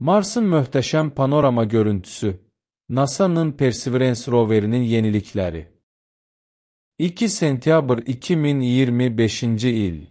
Marsın möhtəşəm panorama görüntüsü, NASA'nın Perseverance roverinin yenilikləri. 2 sentyabr 2025-ci il.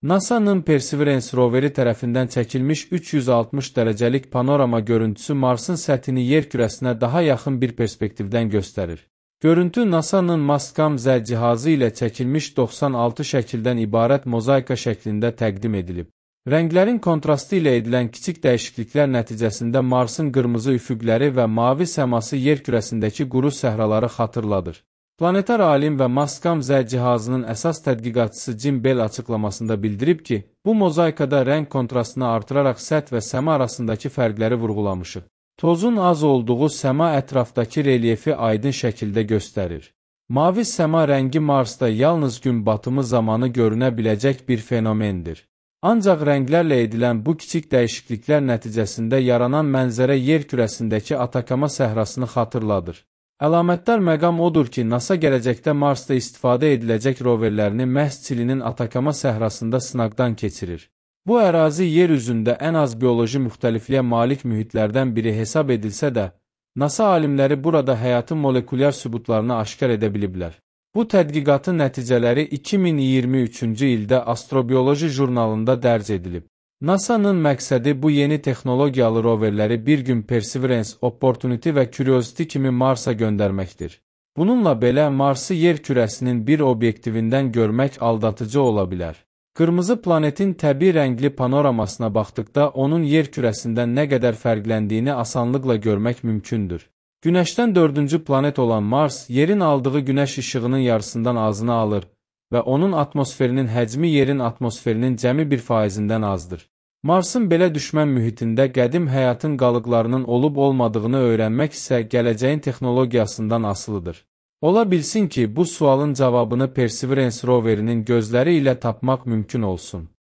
NASA'nın Perseverance roveri tərəfindən çəkilmiş 360 dərəcəlik panorama görüntüsü Marsın səthini yer kürəsinə daha yaxın bir perspektivdən göstərir. Görüntü NASA'nın Mastcam-Z cihazı ilə çəkilmiş 96 şəkildən ibarət mozaika şəklində təqdim edilib. Rənglərin kontrastı ilə edilən kiçik dəyişikliklər nəticəsində Marsın qırmızı üfüqləri və mavi səması yer kürəsindəki quru səhraları xatırladır. Planetar alim və Mastcam-Z cihazının əsas tədqiqatçısı Jim Bell açıqlamasında bildirib ki, bu mozaikada rəng kontrastını artıraraq səth və səma arasındakı fərqləri vurğulamışıq. Tozun az olduğu səma ətrafdakı relyefi aydın şəkildə göstərir. Mavi səma rəngi Marsda yalnız gün batımı zamanı görünə biləcək bir fenomendir. Ancaq rənglərlə edilən bu kiçik dəyişikliklər nəticəsində yaranan mənzərə yer kürəsindəki Atakama səhrasını xatırladır. Əlamətdar məqam odur ki, NASA gələcəkdə Marsda istifadə ediləcək roverlərini məhz Çilinin Atakama səhrasında sınaqdan keçirir. Bu ərazi yer üzündə ən az bioloji müxtəlifliyə malik mühitlərdən biri hesab edilsə də, NASA alimləri burada həyatın molekulyar sübutlarını aşkar edə biliblər. Bu tədqiqatın nəticələri 2023-cü ildə Astrobioloji jurnalında dərc edilib. NASA'nın məqsədi bu yeni texnologiyalı roverləri bir gün Perseverance, Opportunity və Curiosity kimi Marsa göndərməkdir. Bununla belə Marsı yer kürəsinin bir obyektivindən görmək aldatıcı ola bilər. Qırmızı planetin təbii rəngli panoramasına baxdıqda onun yer kürəsindən nə qədər fərqləndiyini asanlıqla görmək mümkündür. Günəşdən 4-cü planet olan Mars, yerin aldığı günəş işığının yarısından azını alır və onun atmosferinin həcmi yerin atmosferinin cəmi 1%-dən azdır. Marsın belə düşmən mühitində qədim həyatın qalıqlarının olub-olmadığını öyrənmək isə gələcəyin texnologiyasından asılıdır. Ola bilsin ki, bu sualın cavabını Perseverance roverinin gözləri ilə tapmaq mümkün olsun.